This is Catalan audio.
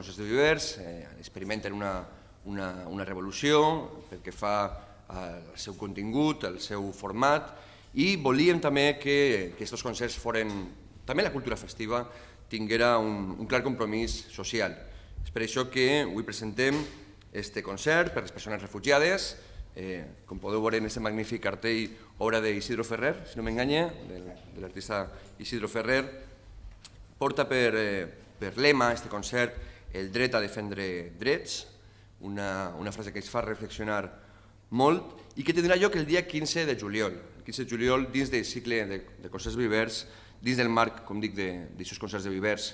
concerts de vivers, experimenten una revolució pel que fa al seu contingut, al seu format, i volíem també que aquests concerts foren, també la cultura festiva, tinguera un clar compromís social. És per això que avui presentem aquest concert per les persones refugiades. Com podeu veure en aquest magnífic cartell, obra d'Isidro Ferrer, si no m'enganya, de l'artista Isidro Ferrer. Porta per lema aquest concert el dret a defendre drets, una frase que ens fa reflexionar molt i que tindrà lloc el dia 15 de juliol. El 15 de juliol dins del cicle de concerts vivers, dins del marc, com dic, d'aquests concerts de vivers